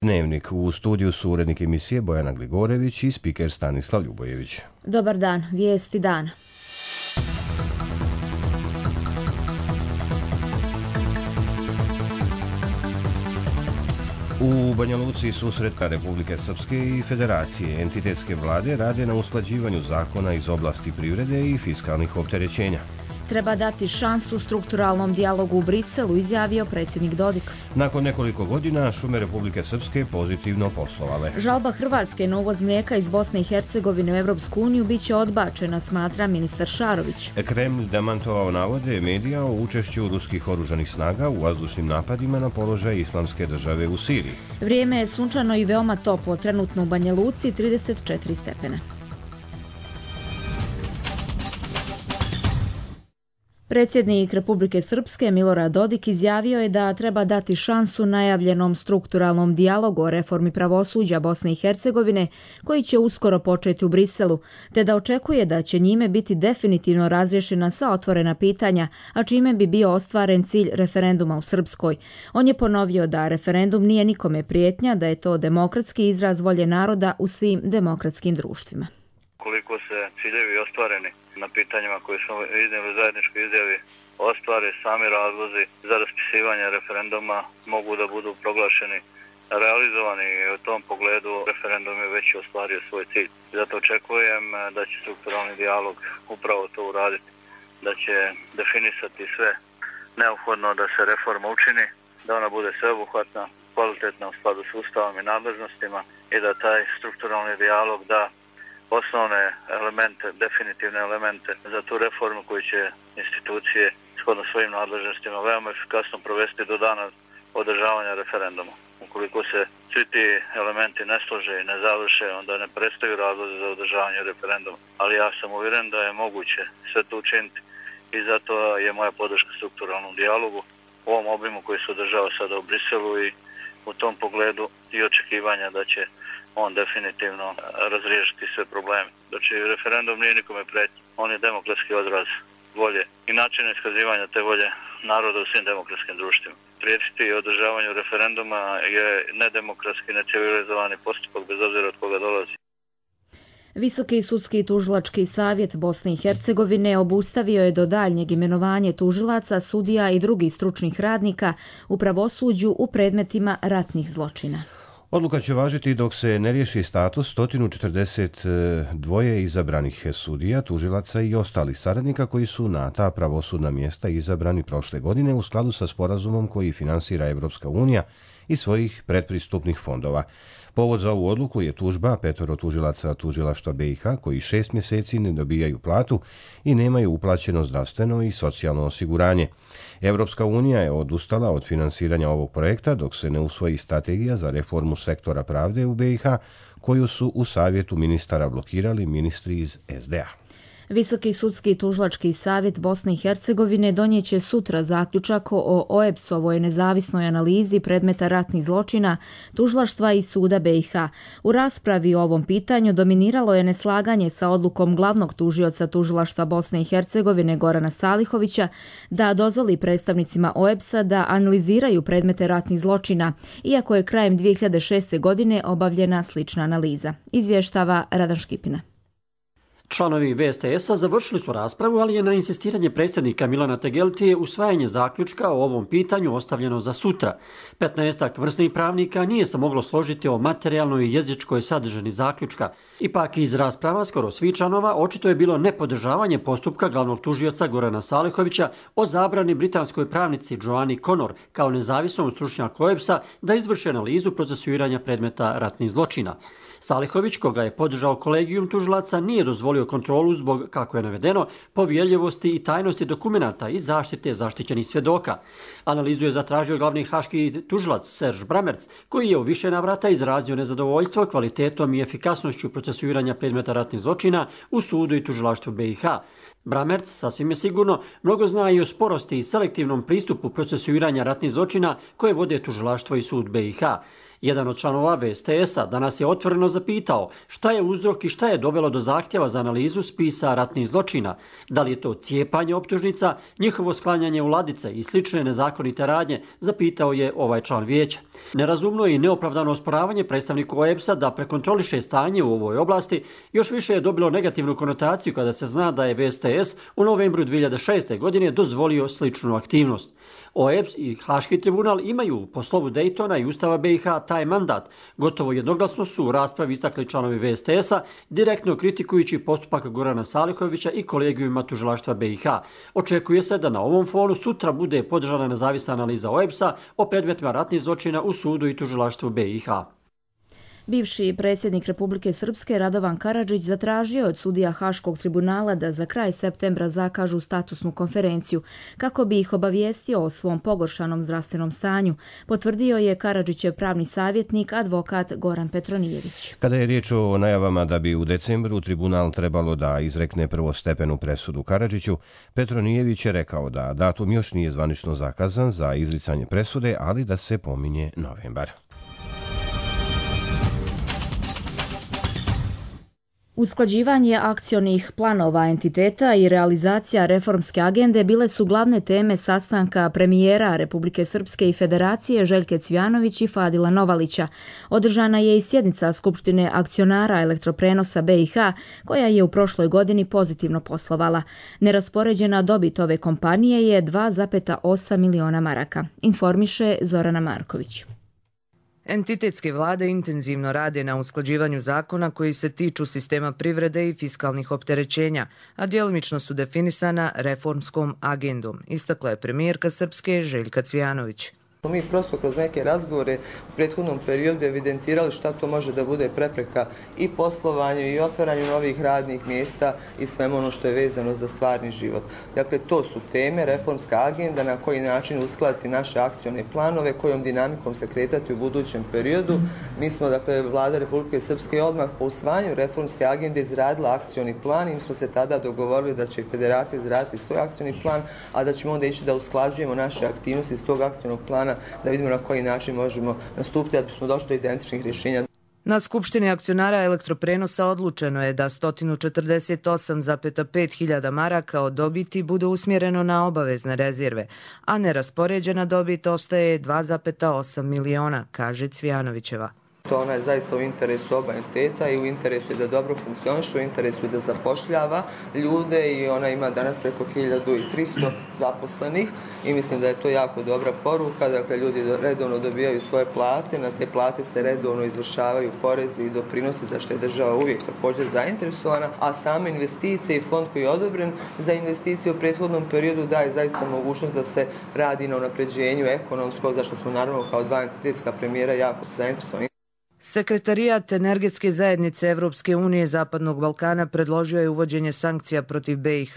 Dnevnik. U studiju su urednik emisije Bojana Gligorević i spiker Stanislav Ljubojević. Dobar dan, vijesti dana. U Banja Luci susret Republike Srpske i Federacije entitetske vlade rade na usklađivanju zakona iz oblasti privrede i fiskalnih opterećenja. Treba dati šansu strukturalnom dijalogu u Briselu, izjavio predsjednik Dodik. Nakon nekoliko godina šume Republike Srpske pozitivno poslovale. Žalba Hrvatske na uvoz mlijeka iz Bosne i Hercegovine u Europsku uniju biće odbačena, smatra ministar Šarović. Kremlj demantovao navode medija o učešću ruskih oružanih snaga u vazdušnim napadima na položaj Islamske države u Siriji. Vrijeme je sunčano i veoma toplo, trenutno u Banja Luci 34 stepena. Predsjednik Republike Srpske Milorad Dodik izjavio je da treba dati šansu najavljenom strukturalnom dijalogu o reformi pravosuđa Bosne i Hercegovine koji će uskoro početi u Briselu, te da očekuje da će njime biti definitivno razriješena sva otvorena pitanja, a čime bi bio ostvaren cilj referenduma u Srpskoj. On je ponovio da referendum nije nikome prijetnja, da je to demokratski izraz volje naroda u svim demokratskim društvima. Koliko se ciljevi ostvareni na pitanjima koje smo iznijeli u zajedničkoj izjavi ostvare, sami razlozi za raspisivanje referenduma mogu da budu proglašeni realizovani i u tom pogledu referendum je već ostvario svoj cilj. Zato očekujem da će strukturalni dijalog upravo to uraditi, da će definisati sve neophodno da se reforma učini, da ona bude sveobuhvatna, kvalitetna u skladu s Ustavom i nadležnostima i da taj strukturalni dijalog da osnovne elemente, definitivne elemente za tu reformu koju će institucije shodno svojim nadležnostima veoma efikasno provesti do dana održavanja referenduma. Ukoliko se svi ti elementi ne slože i ne završe, onda ne prestaju razlozi za održavanje referenduma. Ali ja sam uvjeren da je moguće sve to učiniti i zato je moja podrška strukturalnom dijalogu u ovom obimu koji se održava sada u Briselu i u tom pogledu i očekivanja da će on definitivno razriješiti sve probleme. Znači, referendum nije nikome pretnja. On je demokratski odraz volje i način iskazivanja te volje naroda u svim demokratskim društvima. Prijetiti održavanju referenduma je nedemokratski, necivilizovani postupak bez obzira od koga dolazi. Visoki sudski tužilački savjet Bosne i Hercegovine obustavio je do daljnjeg imenovanje tužilaca, sudija i drugih stručnih radnika u pravosuđu u predmetima ratnih zločina. Odluka će važiti dok se ne riješi status 142 izabranih sudija, tužilaca i ostalih saradnika koji su na ta pravosudna mjesta izabrani prošle godine u skladu sa sporazumom koji finansira Evropska unija i svojih predpristupnih fondova. Povod za ovu odluku je tužba 5 tužilaca tužilaštva BiH koji 6 mjeseci ne dobijaju platu i nemaju uplaćeno zdravstveno i socijalno osiguranje. Evropska unija je odustala od finansiranja ovog projekta dok se ne usvoji strategija za reformu sektora pravde u BiH koju su u savjetu ministara blokirali ministri iz SDA. Visoki sudski tužilački savjet Bosne i Hercegovine donijeće sutra zaključak o OEBS-ovoj nezavisnoj analizi predmeta ratnih zločina tužilaštva i suda BiH. U raspravi o ovom pitanju dominiralo je neslaganje sa odlukom glavnog tužioca tužilaštva Bosne i Hercegovine Gorana Salihovića da dozvoli predstavnicima OEBS-a da analiziraju predmete ratnih zločina, iako je krajem 2006. godine obavljena slična analiza. Izvještava Radan Škipina. Članovi VSTS-a završili su raspravu, ali je na insistiranje predsjednika Milana Tegeltije usvajanje zaključka o ovom pitanju ostavljeno za sutra. 15 vrsnih pravnika nije se moglo složiti o materijalnoj i jezičkoj sadržini zaključka. Ipak iz rasprava skoro svi članova očito je bilo nepodržavanje postupka glavnog tužioca Gorana Salihovića o zabrani britanskoj pravnici Joanni Connor kao nezavisnom stručnjaku OEBS-a da izvrši analizu procesuiranja predmeta ratnih zločina. Salihović, koga je podržao kolegijum tužilaca, nije dozvolio kontrolu zbog, kako je navedeno, povjerljivosti i tajnosti dokumenata i zaštite zaštićenih svjedoka. Analizu je zatražio glavni haški tužilac Serge Bramertz, koji je u više navrata izrazio nezadovoljstvo kvalitetom i efikasnošću procesuiranja predmeta ratnih zločina u sudu i tužilaštvu BiH. Bramertz, sasvim je sigurno, mnogo zna i o sporosti i selektivnom pristupu procesuiranja ratnih zločina koje vode tužilaštvo i sud BiH. Jedan od članova VSTS-a danas je otvoreno zapitao šta je uzrok i šta je dovelo do zahtjeva za analizu spisa ratnih zločina. Da li je to cijepanje optužnica, njihovo sklanjanje u ladice i slične nezakonite radnje, zapitao je ovaj član vijeća. Nerazumno i neopravdano osporavanje predstavniku OEBS-a da prekontroliše stanje u ovoj oblasti još više je dobilo negativnu konotaciju kada se zna da je VSTS u novembru 2006. godine dozvolio sličnu aktivnost. OEBS i Haški tribunal imaju po slovu Dejtona i Ustava BiH taj mandat. Gotovo jednoglasno su u raspravi istakli članovi VSTS-a, direktno kritikujući postupak Gorana Salihovića i kolegijuma tužilaštva BiH. Očekuje se da na ovom fonu sutra bude podržana nezavisna analiza OEBS-a o predmetima ratnih zločina u sudu i tužilaštvu BiH. Bivši predsjednik Republike Srpske Radovan Karadžić zatražio od sudija Haškog tribunala da za kraj septembra zakažu statusnu konferenciju kako bi ih obavijestio o svom pogoršanom zdravstvenom stanju, potvrdio je Karadžićev pravni savjetnik advokat Goran Petronijević. Kada je riječ o najavama da bi u decembru tribunal trebalo da izrekne prvostepenu presudu Karadžiću, Petronijević je rekao da datum još nije zvanično zakazan za izricanje presude, ali da se pominje novembar. Usklađivanje akcionih planova entiteta i realizacija reformske agende bile su glavne teme sastanka premijera Republike Srpske i Federacije Željke Cvijanović i Fadila Novalića. Održana je i sjednica Skupštine akcionara elektroprenosa BiH, koja je u prošloj godini pozitivno poslovala. Neraspoređena dobit ove kompanije je 2,8 miliona maraka, informiše Zorana Marković. Entitetske vlade intenzivno rade na usklađivanju zakona koji se tiču sistema privrede i fiskalnih opterećenja, a djelomično su definisana reformskom agendom, istakla je premijerka Srpske Željka Cvijanović. Mi prosto kroz neke razgovore u prethodnom periodu evidentirali šta to može da bude prepreka i poslovanju i otvaranju novih radnih mjesta i svemu ono što je vezano za stvarni život. Dakle, to su teme, reformska agenda, na koji način uskladiti naše akcione planove, kojom dinamikom se kretati u budućem periodu. Mi smo, dakle, Vlada Republike Srpske odmah po usvajanju reformske agende izradila akcioni plan i mi smo se tada dogovorili da će Federacija izraditi svoj akcioni plan, a da ćemo onda ići da usklađujemo naše aktivnosti iz tog akcionog plana da vidimo na koji način možemo nastupiti da bismo došli do identičnih rješenja. Na Skupštini akcionara elektroprenosa odlučeno je da 148,5 hiljada maraka od dobiti bude usmjereno na obavezne rezerve, a neraspoređena dobit ostaje 2,8 miliona, kaže Cvijanovićeva. Ona je zaista u interesu oba entiteta i u interesu je da dobro funkcioniše, u interesu je da zapošljava ljude i ona ima danas preko 1300 zaposlenih i mislim da je to jako dobra poruka. Dakle, ljudi redovno dobijaju svoje plate, na te plate se redovno izvršavaju porezi i doprinosi za što je država uvijek također zainteresovana, a same investicije i fond koji je odobren za investicije u prethodnom periodu daje zaista mogućnost da se radi na unapređenju ekonomskog, za što smo naravno kao dva entitetska premijera jako zainteresovani. Sekretarijat Energetske zajednice Evropske unije Zapadnog Balkana predložio je uvođenje sankcija protiv BiH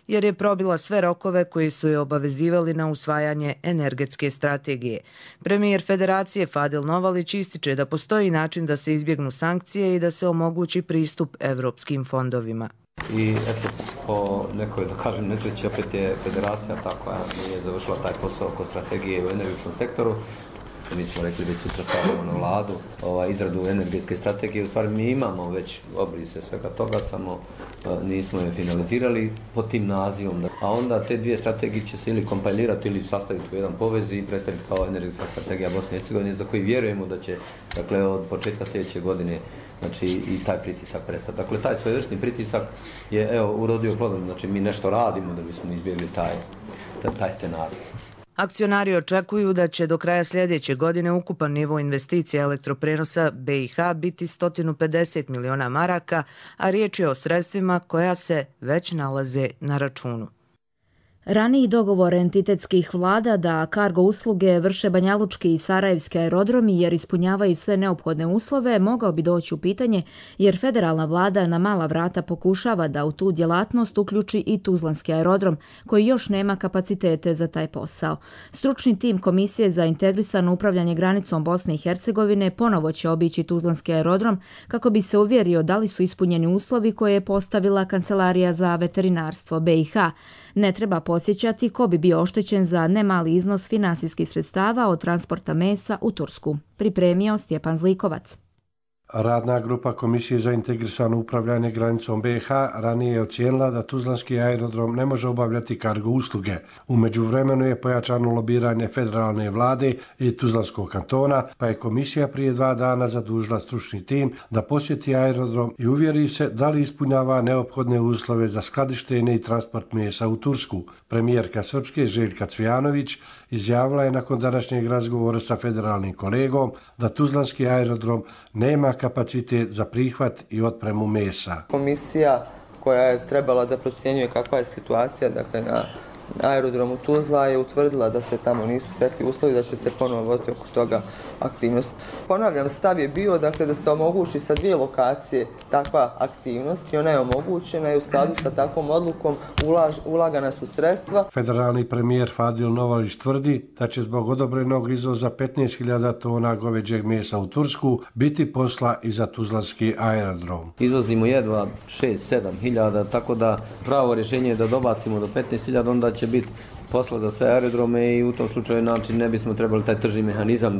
jer je probila sve rokove koji su je obavezivali na usvajanje energetske strategije. Premijer Federacije Fadil Novalić ističe da postoji način da se izbjegnu sankcije i da se omogući pristup evropskim fondovima. I eto, po nekoj, da kažem, nesreći opet je Federacija ta koja nije završila taj posao oko strategije u energetskom sektoru. Mi smo rekli da sutra stavljamo na vladu izradu energetske strategije. U stvari mi imamo već obrise svega toga, samo nismo je finalizirali pod tim nazivom. A onda te dvije strategije će se ili kompilirati ili sastaviti u jedan povez i predstaviti kao energetska strategija Bosne i Hercegovine, za koji vjerujemo da će, dakle, od početka sljedeće godine, znači, i taj pritisak prestati. Dakle, taj svojevrsni pritisak je urodio plodom. Znači, mi nešto radimo da bismo izbjegli taj scenarij. Akcionari očekuju da će do kraja sljedeće godine ukupan nivo investicija elektroprenosa BiH biti 150 miliona maraka, a riječ je o sredstvima koja se već nalaze na računu. Raniji dogovor entitetskih vlada da kargo usluge vrše banjalučki i sarajevski aerodromi jer ispunjavaju sve neophodne uslove mogao bi doći u pitanje jer federalna vlada na mala vrata pokušava da u tu djelatnost uključi i Tuzlanski aerodrom koji još nema kapacitete za taj posao. Stručni tim Komisije za integrisano upravljanje granicom Bosne i Hercegovine ponovo će obići Tuzlanski aerodrom kako bi se uvjerio da li su ispunjeni uslovi koje je postavila Kancelarija za veterinarstvo BiH. Ne treba podsjećati ko bi bio oštećen za nemali iznos finansijskih sredstava od transporta mesa u Tursku. Pripremio Stjepan Zlikovac. Radna grupa Komisije za integrisano upravljanje granicom BiH ranije je ocijenila da tuzlanski aerodrom ne može obavljati kargo usluge. U međuvremenu je pojačano lobiranje federalne vlade i Tuzlanskog kantona, pa je komisija prije 2 dana zadužila stručni tim da posjeti aerodrom i uvjeri se da li ispunjava neophodne uslove za skladištenje i transport mesa u Tursku. Premijerka Srpske Željka Cvijanović izjavila je nakon današnjeg razgovora sa federalnim kolegom da tuzlanski aerodrom nema kapacitet za prihvat i otpremu mesa. Komisija koja je trebala da procjenjuje kakva je situacija, dakle na aerodromu Tuzla, je utvrdila da se tamo nisu stekli uslovi, da će se ponovo voditi oko toga aktivnost. Ponavljam, stav je bio dakle, da se omogući sa 2 lokacije takva aktivnost i ona je omogućena i u skladu sa takvom odlukom ulagana su sredstva. Federalni premijer Fadil Novalić tvrdi da će zbog odobrenog izvoza 15.000 tona goveđeg mesa u Tursku biti posla i za tuzlanski aerodrom. Izvozimo jedva 6-7 hiljada, tako da pravo rješenje je da dobacimo do 15.000, onda će biti posla za sve aerodrome i u tom slučaju način ne bismo trebali taj tržni mehanizam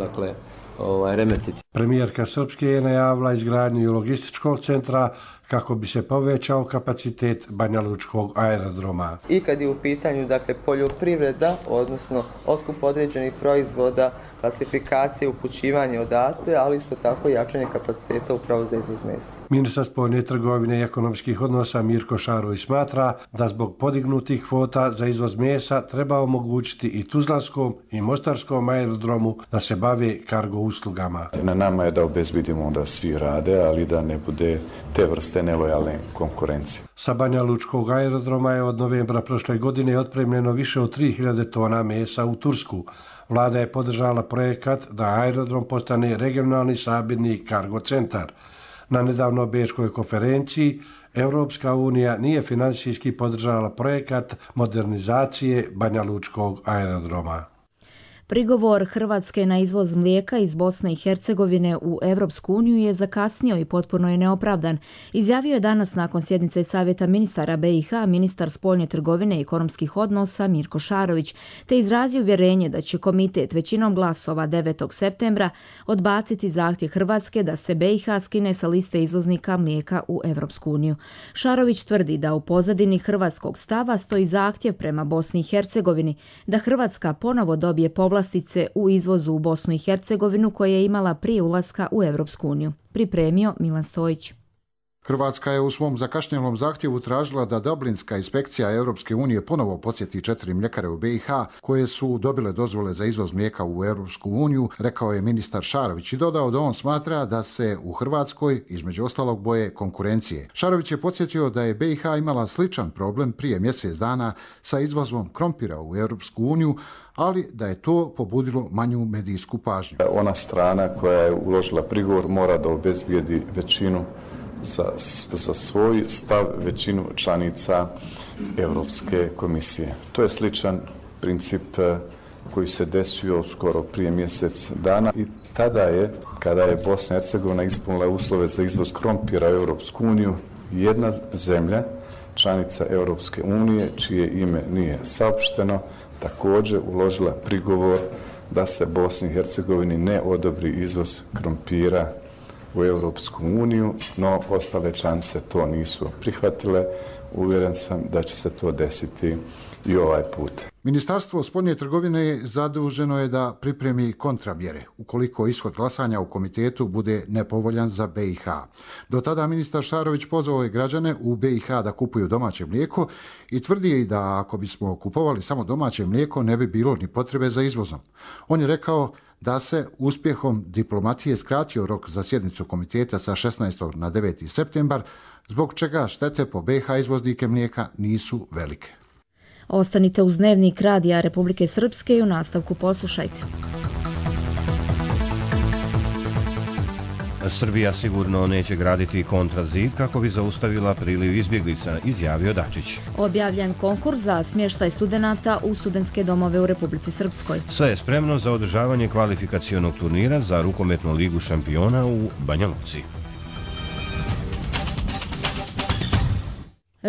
remetiti. Premijerka Srpske je najavila izgradnju logističkog centra kako bi se povećao kapacitet Banjalučkog aerodroma. I kad je u pitanju dakle, poljoprivreda, odnosno otkup određenih proizvoda, klasifikacije, upućivanje odatle, ali isto tako jačanje kapaciteta upravo za izvoz mesa. Ministar spoljne trgovine i ekonomskih odnosa Mirko Šarović smatra da zbog podignutih kvota za izvoz mesa treba omogućiti i tuzlanskom i mostarskom aerodromu da se bave kargo uslugama. Na nama je da obezbedimo da svi rade, ali da ne bude te vrste nelojalne konkurencije. Sa Banjalučkog aerodroma je od novembra prošle godine otpremljeno više od 3.000 tona mesa u Tursku. Vlada je podržala projekat da aerodrom postane regionalni sabirni kargo centar. Na nedavno bečkoj konferenciji Evropska unija nije finansijski podržala projekat modernizacije Banjalučkog aerodroma. Prigovor Hrvatske na izvoz mlijeka iz Bosne i Hercegovine u Evropsku uniju je zakasnio i potpuno je neopravdan. Izjavio je danas nakon sjednice Savjeta ministara BiH ministar spoljne trgovine i ekonomskih odnosa Mirko Šarović, te izrazio uvjerenje da će komitet većinom glasova 9. septembra odbaciti zahtjev Hrvatske da se BiH skine sa liste izvoznika mlijeka u Evropsku uniju. Šarović tvrdi da u pozadini hrvatskog stava stoji zahtjev prema Bosni i Hercegovini da Hrvatska ponovo dobije povlastice u izvozu u Bosnu i Hercegovinu koje je imala prije ulaska u Evropsku uniju. Pripremio Milan Stojić. Hrvatska je u svom zakašnjelom zahtjevu tražila da Dublinska inspekcija Europske unije ponovo podsjeti 4 mljekare u BiH koje su dobile dozvole za izvoz mlijeka u Europsku uniju, rekao je ministar Šarović i dodao da on smatra da se u Hrvatskoj između ostalog boje konkurencije. Šarović je podsjetio da je BiH imala sličan problem prije mjesec dana sa izvozom krompira u Europsku uniju, ali da je to pobudilo manju medijsku pažnju. Ona strana koja je uložila prigovor mora da obezbijedi većinu za svoj stav većinu članica Europske komisije. To je sličan princip koji se desio skoro prije mjesec dana i tada je, kada je Bosna i Hercegovina ispunila uslove za izvoz krompira u Europsku uniju, jedna zemlja, članica Europske unije, čije ime nije saopšteno, također uložila prigovor da se Bosni i Hercegovini ne odobri izvoz krompira u Europsku uniju, no ostale članice to nisu prihvatile. Uvjeren sam da će se to desiti i ovaj put. Ministarstvo spoljne trgovine zaduženo je da pripremi kontramjere ukoliko ishod glasanja u komitetu bude nepovoljan za BiH. Do tada ministar Šarović pozvao je građane u BiH da kupuju domaće mlijeko i tvrdi da ako bismo kupovali samo domaće mlijeko ne bi bilo ni potrebe za izvozom. On je rekao da se uspjehom diplomacije skratio rok za sjednicu komiteta sa 16. na 9. septembar, zbog čega štete po BiH izvoznike mlijeka nisu velike. Ostanite uz dnevnik Radija Republike Srpske i u nastavku poslušajte. Srbija sigurno neće graditi kontrazid kako bi zaustavila priliv izbjeglica, izjavio Dačić. Objavljen konkurs za smještaj studenata u studentske domove u Republici Srpskoj. Sve je spremno za održavanje kvalifikacionog turnira za rukometnu ligu šampiona u Banja Luci.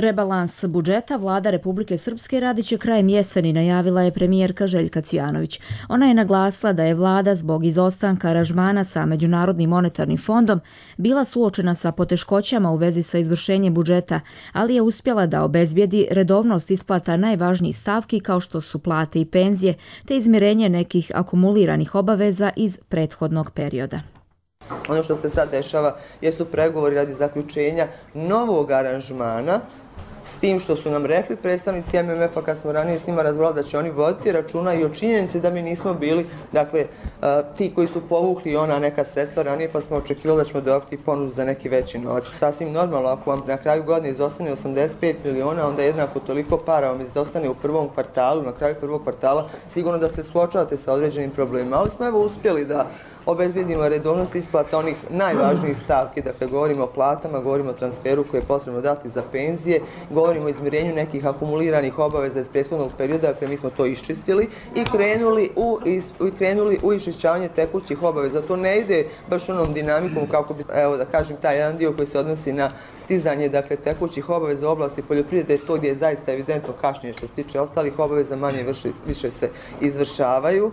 Rebalans budžeta vlada Republike Srpske radit će krajem jeseni, najavila je premijerka Željka Cvijanović. Ona je naglasila da je vlada zbog izostanka aranžmana sa Međunarodnim monetarnim fondom bila suočena sa poteškoćama u vezi sa izvršenjem budžeta, ali je uspjela da obezbijedi redovnost isplata najvažnijih stavki kao što su plate i penzije, te izmirenje nekih akumuliranih obaveza iz prethodnog perioda. Ono što se sad dešava jesu pregovori radi zaključenja novog aranžmana, s tim što su nam rekli predstavnici MMF-a kad smo ranije s njima razgovarali da će oni voditi računa i o činjenici da mi nismo bili, dakle, ti koji su povukli ona neka sredstva ranije, pa smo očekivali da ćemo dobiti ponudu za neki veći novac. Sasvim normalno, ako vam na kraju godine izostane 85 miliona, onda jednako toliko para vam izostane u prvom kvartalu, na kraju prvog kvartala, sigurno da se suočavate sa određenim problemima. Ali smo evo uspjeli da obezbjedimo redovnost isplata onih najvažnijih stavki, dakle govorimo o platama, govorimo o transferu koje je potrebno dati za penzije, govorimo o izmirenju nekih akumuliranih obaveza iz prethodnog perioda, dakle mi smo to iščistili i krenuli u iščišćavanje tekućih obaveza. To ne ide baš onom dinamikom kako bi, evo da kažem, taj jedan dio koji se odnosi na stizanje, dakle, tekućih obaveza u oblasti poljoprivrede, to gdje je zaista evidentno kašnjenje što se tiče ostalih obaveza, manje više se izvršavaju.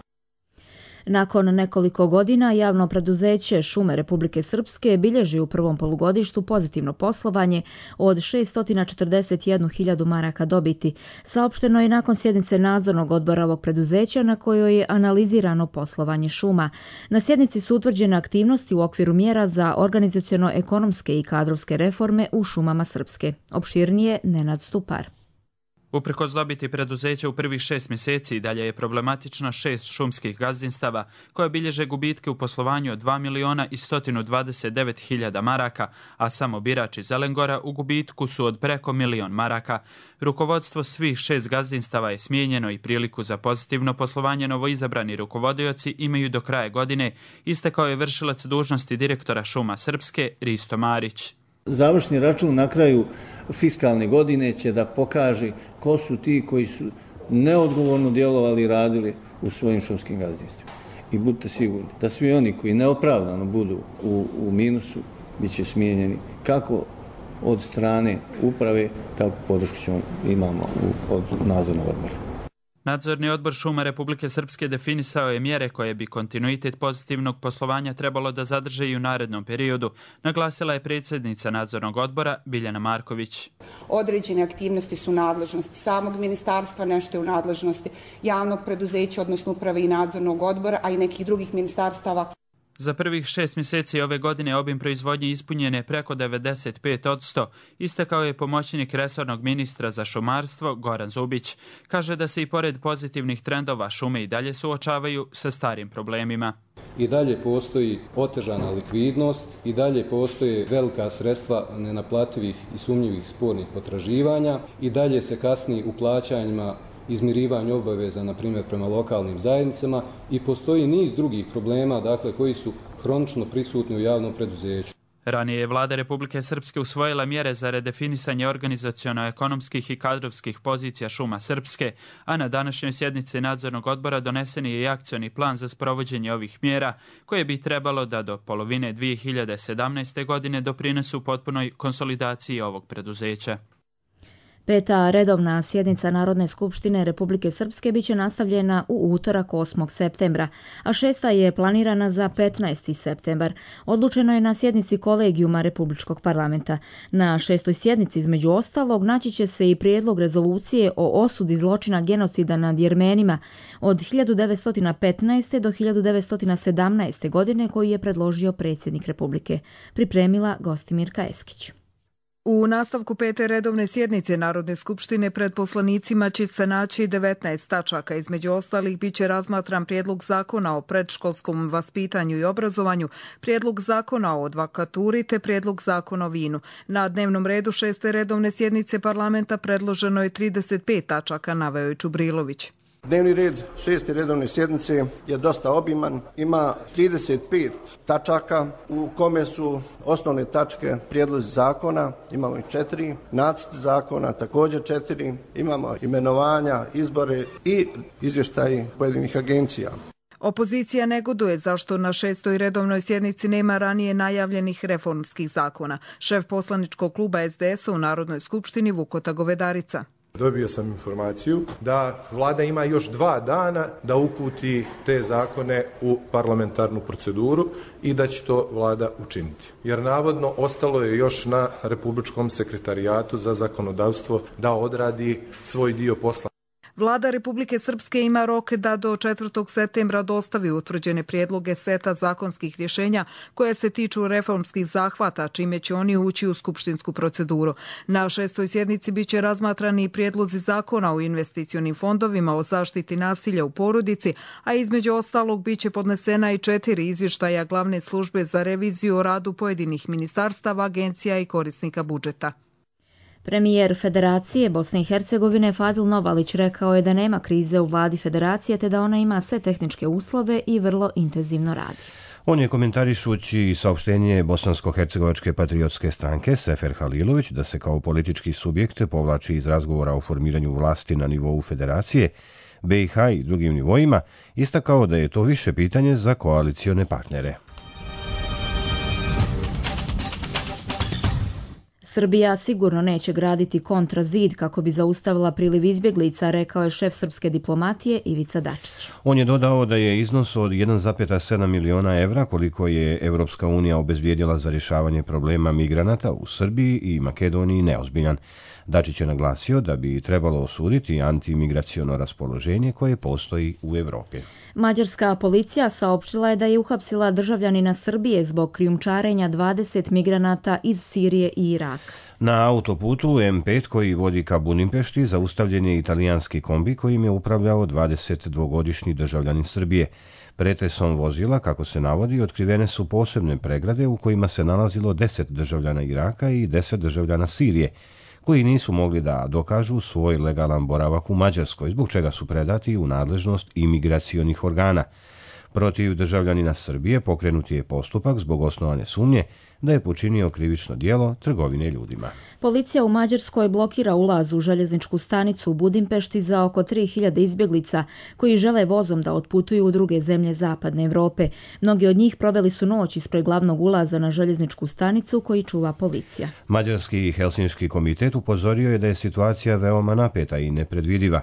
Nakon nekoliko godina javno preduzeće Šume Republike Srpske bilježi u prvom polugodištu pozitivno poslovanje od 641.000 maraka dobiti. Saopšteno je nakon sjednice nadzornog odbora ovog preduzeća na kojoj je analizirano poslovanje šuma. Na sjednici su utvrđene aktivnosti u okviru mjera za organizaciono-ekonomske i kadrovske reforme u šumama Srpske. Opširnije Nenad Stupar. Uprkos dobiti preduzeća u prvih 6 mjeseci dalje je problematično 6 šumskih gazdinstava koje bilježe gubitke u poslovanju od 2.129.000 maraka, a samo Birač i Zelengora u gubitku su od preko 1.000.000 maraka. Rukovodstvo svih 6 gazdinstava je smijenjeno i priliku za pozitivno poslovanje novoizabrani rukovodioci imaju do kraja godine, istekao je vršilac dužnosti direktora Šuma Srpske Risto Marić. Završni račun na kraju fiskalne godine će da pokaže ko su ti koji su neodgovorno djelovali i radili u svojim šumskim gazdinstvima. I budite sigurni da svi oni koji neopravdano budu u minusu bit će smijenjeni kako od strane uprave, tako podršku imamo od nadzornog odbora. Nadzorni odbor Šuma Republike Srpske definisao je mjere koje bi kontinuitet pozitivnog poslovanja trebalo da zadrže i u narednom periodu, naglasila je predsjednica nadzornog odbora Biljana Marković. Određene aktivnosti su nadležnosti samog ministarstva, nešto je u nadležnosti javnog preduzeća, odnosno uprave i nadzornog odbora, a i nekih drugih ministarstava. Za prvih 6 mjeseci ove godine obim proizvodnje ispunjen je preko 95%, istakao je pomoćnik resornog ministra za šumarstvo Goran Zubić. Kaže da se i pored pozitivnih trendova šume i dalje suočavaju sa starim problemima. I dalje postoji otežana likvidnost, i dalje postoje velika sredstva nenaplativih i sumnjivih spornih potraživanja, i dalje se kasni u plaćanjima izmirivanju obaveza, na primjer, prema lokalnim zajednicama, i postoji niz drugih problema, dakle, koji su hronično prisutni u javnom preduzeću. Ranije je vlada Republike Srpske usvojila mjere za redefinisanje organizaciono-ekonomskih i kadrovskih pozicija Šuma Srpske, a na današnjoj sjednici nadzornog odbora donesen je i akcioni plan za sprovođenje ovih mjera, koje bi trebalo da do polovine 2017. godine doprinesu potpunoj konsolidaciji ovog preduzeća. 5. redovna sjednica Narodne skupštine Republike Srpske biće nastavljena u utorak 8. septembra, a 6. je planirana za 15. septembar. Odlučeno je na sjednici kolegijuma Republičkog parlamenta. Na 6. sjednici, između ostalog, naći će se i prijedlog rezolucije o osudi zločina genocida nad Jermenima od 1915. do 1917. godine koji je predložio predsjednik Republike. Pripremila Gostimirka Eskić. U nastavku 5. redovne sjednice Narodne skupštine pred poslanicima će se naći 19 tačaka. Između ostalih biće razmatran prijedlog zakona o predškolskom vaspitanju i obrazovanju, prijedlog zakona o advokaturi te prijedlog zakona o vinu. Na dnevnom redu 6. redovne sjednice parlamenta predloženo je 35 tačaka, naveo je Čubrilović. Dnevni red 6. redovne sjednice je dosta obiman, ima 35 tačaka u kome su osnovne tačke prijedlozi zakona, imamo i 4, nacrt zakona također 4, imamo imenovanja, izbore i izvještaji pojedinih agencija. Opozicija negoduje zašto na 6. redovnoj sjednici nema ranije najavljenih reformskih zakona. Šef poslaničkog kluba SDS-a u Narodnoj skupštini Vukota Govedarica. Dobio sam informaciju da vlada ima još 2 dana da uputi te zakone u parlamentarnu proceduru i da će to vlada učiniti. Jer navodno ostalo je još na Republičkom sekretarijatu za zakonodavstvo da odradi svoj dio posla. Vlada Republike Srpske ima rok da do 4. septembra dostavi utvrđene prijedloge seta zakonskih rješenja koje se tiču reformskih zahvata, čime će oni ući u skupštinsku proceduru. Na 6. sjednici biće razmatrani i prijedlozi zakona o investicionim fondovima, o zaštiti nasilja u porodici, a između ostalog biće podnesena i 4 izvještaja glavne službe za reviziju o radu pojedinih ministarstava, agencija i korisnika budžeta. Premijer Federacije Bosne i Hercegovine Fadil Novalić rekao je da nema krize u vladi Federacije te da ona ima sve tehničke uslove i vrlo intenzivno radi. On je komentarišući saopštenje Bosansko-hercegovačke patriotske stranke Sefer Halilović da se kao politički subjekt povlači iz razgovora o formiranju vlasti na nivou Federacije, BiH i drugim nivoima, istakao da je to više pitanje za koalicione partnere. Srbija sigurno neće graditi kontrazid kako bi zaustavila priliv izbjeglica, rekao je šef srpske diplomatije Ivica Dačić. On je dodao da je iznos od 1,7 miliona evra koliko je Evropska unija obezbijedila za rješavanje problema migranata u Srbiji i Makedoniji neozbiljan. Dačić je naglasio da bi trebalo osuditi antimigraciono raspoloženje koje postoji u Evropi. Mađarska policija saopštila je da je uhapsila državljanina Srbije zbog krijumčarenja 20 migranata iz Sirije i Iraka. Na autoputu M5 koji vodi ka Budimpešti zaustavljen je italijanski kombi kojim je upravljao 22-godišnji državljanin Srbije. Pretresom vozila, kako se navodi, otkrivene su posebne pregrade u kojima se nalazilo 10 državljana Iraka i 10 državljana Sirije, koji nisu mogli da dokažu svoj legalan boravak u Mađarskoj, zbog čega su predati u nadležnost imigracionih organa. Protiv državljanina Srbije pokrenut je postupak zbog osnovane sumnje da je počinio krivično djelo trgovine ljudima. Policija u Mađarskoj blokira ulaz u željezničku stanicu u Budimpešti za oko 3000 izbjeglica koji žele vozom da otputuju u druge zemlje zapadne Evrope. Mnogi od njih proveli su noć ispred glavnog ulaza na željezničku stanicu koji čuva policija. Mađarski i Helsinški komitet upozorio je da je situacija veoma napeta i nepredvidiva.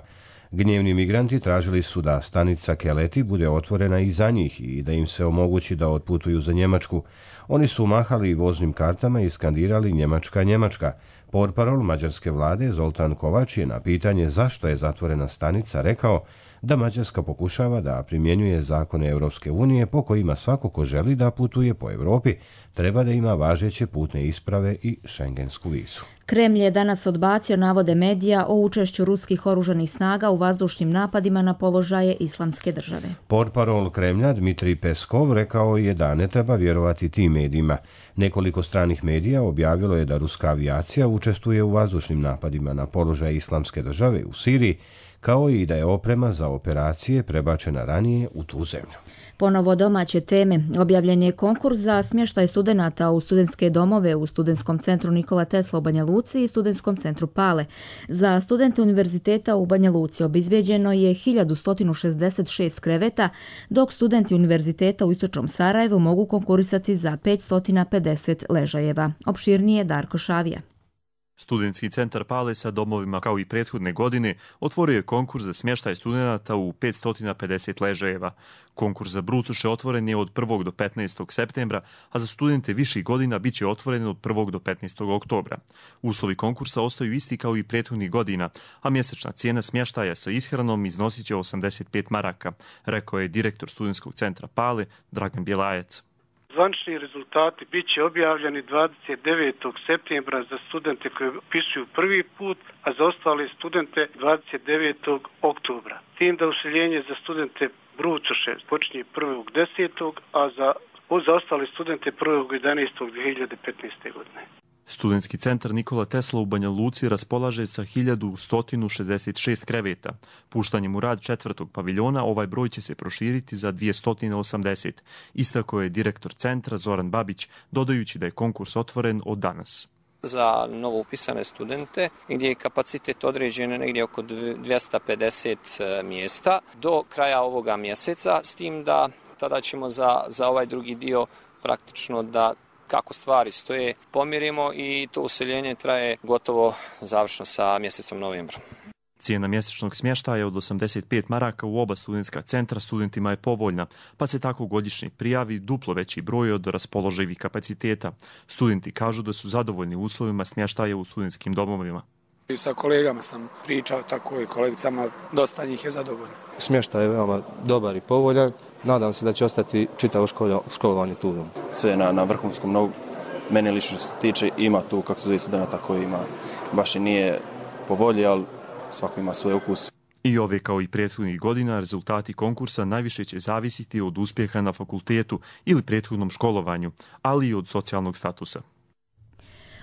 Gnjevni migranti tražili su da stanica Keleti bude otvorena i za njih i da im se omogući da otputuju za Njemačku. Oni su mahali voznim kartama i skandirali Njemačka, Njemačka. Portparol mađarske vlade Zoltan Kovač je na pitanje zašto je zatvorena stanica rekao da Mađarska pokušava da primjenjuje zakone Europske unije po kojima svako ko želi da putuje po Europi treba da ima važeće putne isprave i šengensku vizu. Kremlj je danas odbacio navode medija o učešću ruskih oružanih snaga u vazdušnim napadima na položaje Islamske države. Portparol Kremlja Dmitrij Peskov rekao je da ne treba vjerovati tim medijima. Nekoliko stranih medija objavilo je da ruska avijacija učestvuje u vazdušnim napadima na položaje Islamske države u Siriji, kao i da je oprema za operacije prebačena ranije u tu zemlju. Ponovo domaće teme. Objavljen je konkurs za smještaj studenata u studentske domove u Studentskom centru Nikola Tesla u Banja Luci i Studentskom centru Pale. Za studente univerziteta u Banja Luci obezbijeđeno je 1166 kreveta, dok studenti univerziteta u Istočnom Sarajevu mogu konkurisati za 550 ležajeva. Opširnije Darko Šavija. Studentski centar Pale sa domovima kao i prethodne godine otvorio je konkurs za smještaj studenata u 550 ležajeva. Konkurs za brucoše otvoren je od 1. do 15. septembra, a za studente viših godina bit će otvoren od 1. do 15. oktobra. Uslovi konkursa ostaju isti kao i prethodnih godina, a mjesečna cijena smještaja sa ishranom iznosit će 85 maraka, rekao je direktor studentskog centra Pale Dragan Bjelajac. Zvanični rezultati bit će objavljeni 29. septembra za studente koji upisuju prvi put, a za ostale studente 29. oktobra. Tim da useljenje za studente brucoše počinje 1.10., a za ostale studente 1.11.2015. godine. Studentski centar Nikola Tesla u Banja Luci raspolaže sa 1166 kreveta. Puštanjem u rad 4. paviljona ovaj broj će se proširiti za 280. Istako je direktor centra Zoran Babić, dodajući da je konkurs otvoren od danas. za novo upisane studente, gdje je kapacitet određen negdje oko 250 mjesta do kraja ovoga mjeseca, s tim da tada ćemo za ovaj drugi dio praktično da kako stvari stoje pomirimo i to useljenje traje gotovo završno sa mjesecom novembrom. Cijena mjesečnog smještaja od 85 maraka u oba studentska centra studentima je povoljna, pa se tako godišnji prijavi duplo veći broj od raspoloživih kapaciteta. Studenti kažu da su zadovoljni uslovima smještaja u studentskim domovima. I sa kolegama sam pričao tako i kolegicama, dosta njih je zadovoljno. Smještaj je veoma dobar i povoljan. Nadam se da će ostati čitavo školovanje tu. Sve na vrhunskom nogu. Mene lično se tiče, ima tu kako se zove studenta koji ima, baš i nije po volji, ali svako ima svoj ukus. I ove kao i prethodnih godina rezultati konkursa najviše će zavisiti od uspjeha na fakultetu ili prethodnom školovanju, ali i od socijalnog statusa.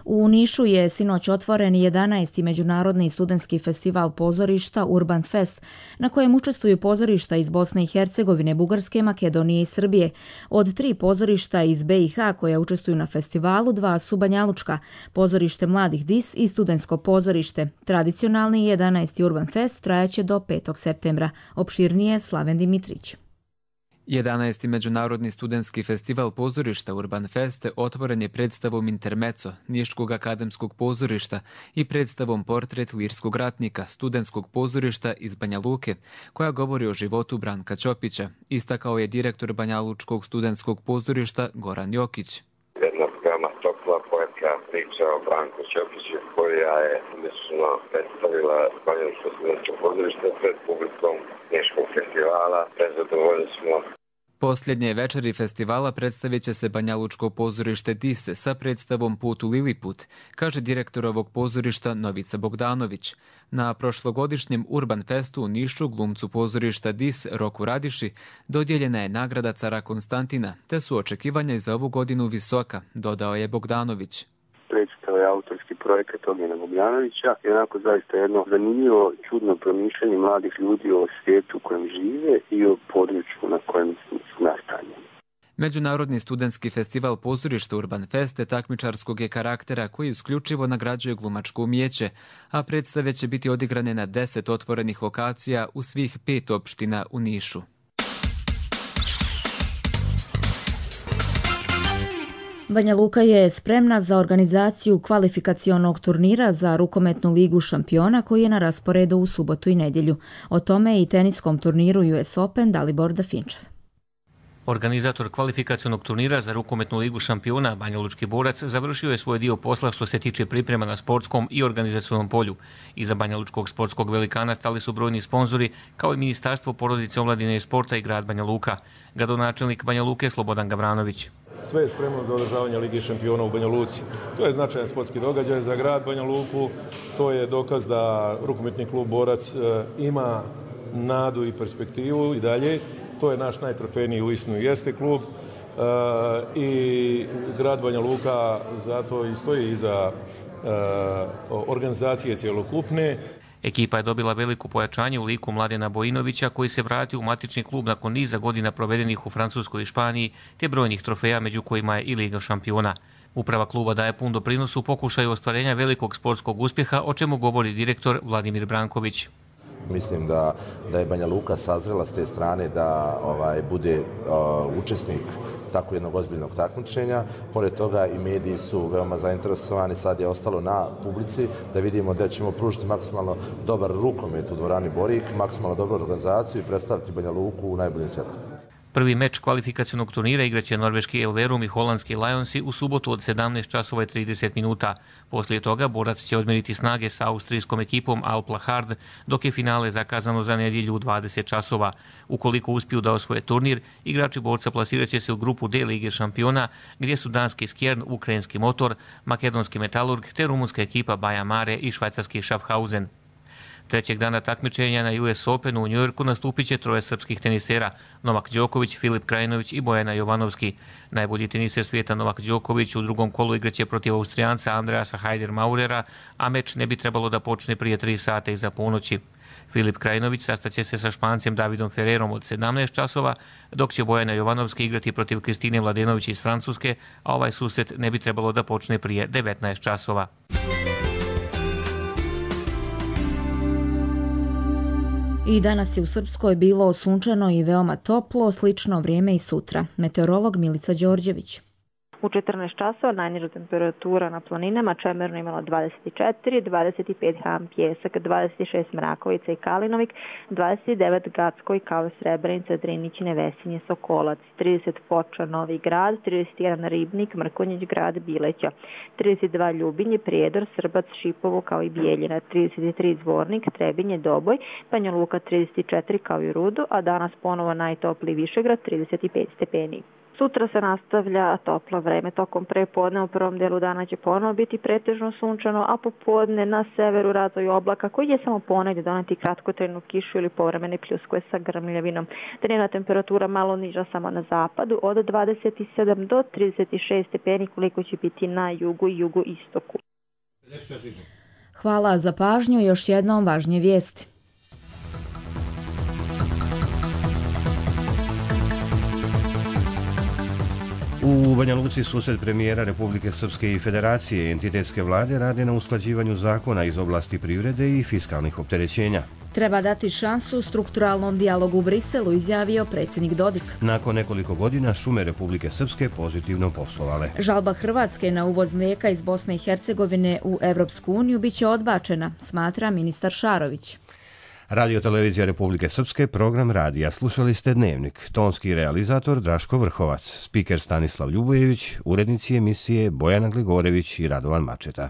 U Nišu je sinoć otvoren 11. međunarodni studentski festival pozorišta Urban Fest, na kojem učestvuju pozorišta iz Bosne i Hercegovine, Bugarske, Makedonije i Srbije. Od 3 pozorišta iz BiH koja učestvuju na festivalu, 2 su banjalučka, pozorište Mladih DIS i studentsko pozorište. Tradicionalni 11. Urban Fest trajaće do 5. septembra. Opširnije Slaven Dimitrić. 11. međunarodni studentski festival pozorišta Urban Fest otvoren je predstavom Intermezzo Niškog akademskog pozorišta i predstavom Portret lirskog ratnika studentskog pozorišta iz Banja Luke, koja govori o životu Branka Ćopića, istakao je direktor Banjalučkog studentskog pozorišta Goran Jokić. Jedna veoma topla poetska priča o Branku Ćopiću koja je umješteno predstavila Banjalučko studentsko pozorište pred publikom Niškog festivala. Prezadovoljni smo. Posljednje večeri festivala predstavit će se Banjalučko pozorište DIS sa predstavom Put u Liliput, kaže direktor ovog pozorišta Novica Bogdanović. Na prošlogodišnjem Urban Festu u Nišu glumcu pozorišta DIS Roku Radiši dodijeljena je nagrada cara Konstantina, te su očekivanja i za ovu godinu visoka, dodao je Bogdanović. Predstava je autorski projekat Ognjena Bogdanovića i onako zaista jedno zanimljivo, čudno promišljanje mladih ljudi o svijetu u kojem žive i o području na kojem su nastanjeni. Međunarodni studentski festival pozorišta Urban Fest takmičarskog je karaktera koji isključivo nagrađuje glumačko umijeće, a predstave će biti odigrane na 10 otvorenih lokacija u svih 5 opština u Nišu. Banja Luka je spremna za organizaciju kvalifikacionog turnira za rukometnu ligu šampiona koji je na rasporedu u subotu i nedjelju. O tome i teniskom turniru US Open Dalibor Dafinčev. Organizator kvalifikacionog turnira za rukometnu ligu šampiona, Banjalučki borac, završio je svoj dio posla što se tiče priprema na sportskom i organizacionom polju. Iza Banjalučkog sportskog velikana stali su brojni sponzori, kao i Ministarstvo porodice, omladine i sporta i grad Banja Luka. Gradonačelnik Banja Luke Slobodan Gavranović. Sve je spremno za održavanje Lige šampiona u Banja Luci. To je značajan sportski događaj za grad Banja Luku. To je dokaz da rukometni klub Borac ima nadu i perspektivu i dalje. To je naš najtrofejniji uistinu jeste klub i grad Banja Luka zato i stoji iza organizacije cjelokupne. Ekipa je dobila veliko pojačanje u liku Mladena Bojinovića koji se vratio u matični klub nakon niza godina provedenih u Francuskoj i Španiji te brojnih trofeja među kojima je i Liga šampiona. Uprava kluba daje pun doprinos u pokušaju ostvarenja velikog sportskog uspjeha, o čemu govori direktor Vladimir Branković. Mislim da je Banja Luka sazrela s te strane da bude učesnik tako jednog ozbiljnog takmičenja. Pored toga i mediji su veoma zainteresovani, sad je ostalo na publici da vidimo da ćemo pružiti maksimalno dobar rukomet u dvorani Borik, maksimalno dobru organizaciju i predstaviti Banja Luku u najboljem svjetlu. Prvi meč kvalifikacionog turnira igraće norveški Elverum i holandski Lionsi u subotu od 17:30 minuta. Poslije toga borac će odmeriti snage sa austrijskom ekipom Alpla Hard, dok je finale zakazano za nedjelju u 20 časova. Ukoliko uspiju da osvoje turnir, igrači borca plasirat će se u grupu D Lige šampiona, gdje su danski Skjern, ukrajinski Motor, makedonski Metalurg te rumunska ekipa Baja Mare i švajcarski Schaffhausen. Trećeg dana takmičenja na US Openu u Njujorku nastupit će 3 srpskih tenisera, Novak Đoković, Filip Krajinović i Bojana Jovanovski. Najbolji teniser svijeta Novak Đoković u drugom kolu igraće protiv Austrijanca Andreasa Haider-Maurera, a meč ne bi trebalo da počne prije 3 sata iza ponoći. Filip Krajinović sastaće se sa Špancem Davidom Ferrerom od 17 časova, dok će Bojana Jovanovska igrati protiv Kristine Mladenović iz Francuske, a ovaj susret ne bi trebalo da počne prije 19 časova. I danas je u Srpskoj bilo sunčano i veoma toplo, slično vrijeme i sutra. Meteorolog Milica Đorđević. U 14 časova najniža temperatura na planinama Čemerno imala 24, 25 Ham Pjesak, 26 Mrakovica i Kalinovik, 29 Gacko i Kave Srebrenica, Drinićine, Vesinje, Sokolac, 30 Foča, Novi Grad, 31 Ribnik, Mrkonjić Grad, Bileća, 32 Ljubinje, Prijedor, Srbac, Šipovo kao i Bijeljina, 33 Zvornik, Trebinje, Doboj, Banja Luka 34 kao i Rudo, a danas ponovo najtopliji Višegrad 35 stepeni. Sutra se nastavlja toplo vreme. Tokom prepodne u prvom delu dana će ponovo biti pretežno sunčano, a popodne na severu razvoj oblaka koji je samo ponegdje doneti kratkotrajnu kišu ili povremene pljuskove sa grmljavinom. Dnevna temperatura malo niža samo na zapadu od 27 do 36 stepeni koliko će biti na jugu i jugoistoku. Hvala za pažnju. Još jednom važnije vijesti. U Banja Luci susret premijera Republike Srpske i Federacije i entitetske vlade rade na usklađivanju zakona iz oblasti privrede i fiskalnih opterećenja. Treba dati šansu strukturalnom dijalogu u Briselu, izjavio predsjednik Dodik. Nakon nekoliko godina šume Republike Srpske pozitivno poslovale. Žalba Hrvatske na uvoz mlijeka iz Bosne i Hercegovine u Evropsku uniju biće odbačena, smatra ministar Šarović. Radio Televizija Republike Srpske, program radija. Slušali ste Dnevnik. Tonski realizator Draško Vrhovac, spiker Stanislav Ljubojević, urednici emisije Bojana Gligorević i Radovan Mačeta.